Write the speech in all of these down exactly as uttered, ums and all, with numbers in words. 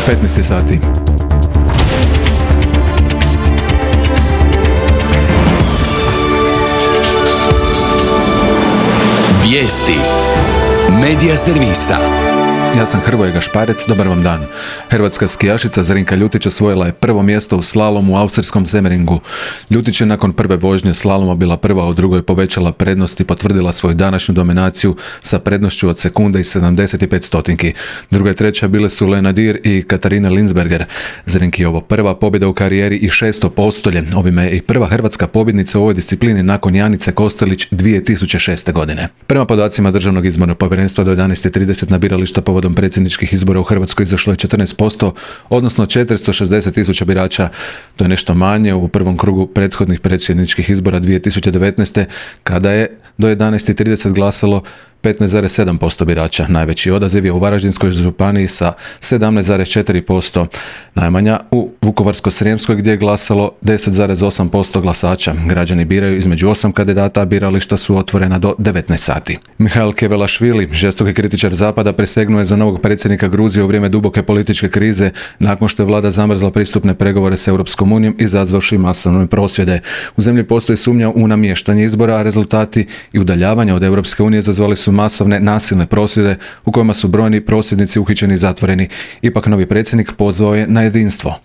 petnaest sati. Vijesti Medija servisa. Ja sam Hrvoje Gašparec, dobar vam dan. Hrvatska skijašica Zrinka Ljutić osvojila je prvo mjesto u slalomu u austrijskom Semmeringu. Ljutić je nakon prve vožnje slaloma bila prva, a u drugoj povećala prednost i potvrdila svoju današnju dominaciju sa prednošću od sekunde i sedamdeset pet stotinki. Druga i treća bile su Lena Dir i Katarina Linsberger. Zrinki je ovo prva pobjeda u karijeri i šesto postolje. Ovime je i prva hrvatska pobjednica u ovoj disciplini nakon Janice Kostelić dvije tisuće šeste. godine. Prema podacima Državnog izbornog povjerenstva do jedanaest i trideset na birališta povodom predsjedničkih izbora u Hrvatskoj izašlo je četrnaest posto, odnosno četiristo šezdeset tisuća birača. To je nešto manje u prvom krugu prethodnih predsjedničkih izbora dvije tisuće devetnaeste. kada je do jedanaest i trideset glasalo petnaest zarez sedam posto birača. Najveći odaziv je u Varaždinskoj županiji sa sedamnaest zarez četiri posto. Najmanja u Vukovarsko-srijemskoj gdje je glasalo deset zarez osam posto glasača. Građani biraju između osam kandidata, a birališta su otvorena do devetnaest sati. Mihail Kevelašvili, žestoki kritičar Zapada, prisegnuo je za novog predsjednika Gruzije u vrijeme duboke političke krize nakon što je vlada zamrzla pristupne pregovore s Europskom unijom izazvavši masovne prosvjede. U zemlji postoji sumnja u namještanje izbora, a rezultati i udaljavanja od Europske unije izazvali su masovne nasilne prosvjede u kojima su brojni prosvjednici uhićeni i zatvoreni. Ipak novi predsjednik pozvao je na jedinstvo.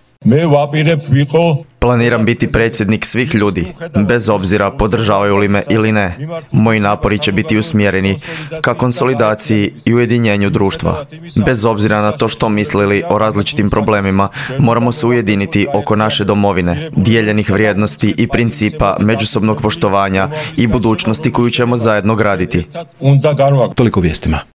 Planiram biti predsjednik svih ljudi, bez obzira podržavaju li me ili ne. Moji napori će biti usmjereni ka konsolidaciji i ujedinjenju društva. Bez obzira na to što mislili o različitim problemima, moramo se ujediniti oko naše domovine, dijeljenih vrijednosti i principa međusobnog poštovanja i budućnosti koju ćemo zajedno graditi. Toliko vijestima.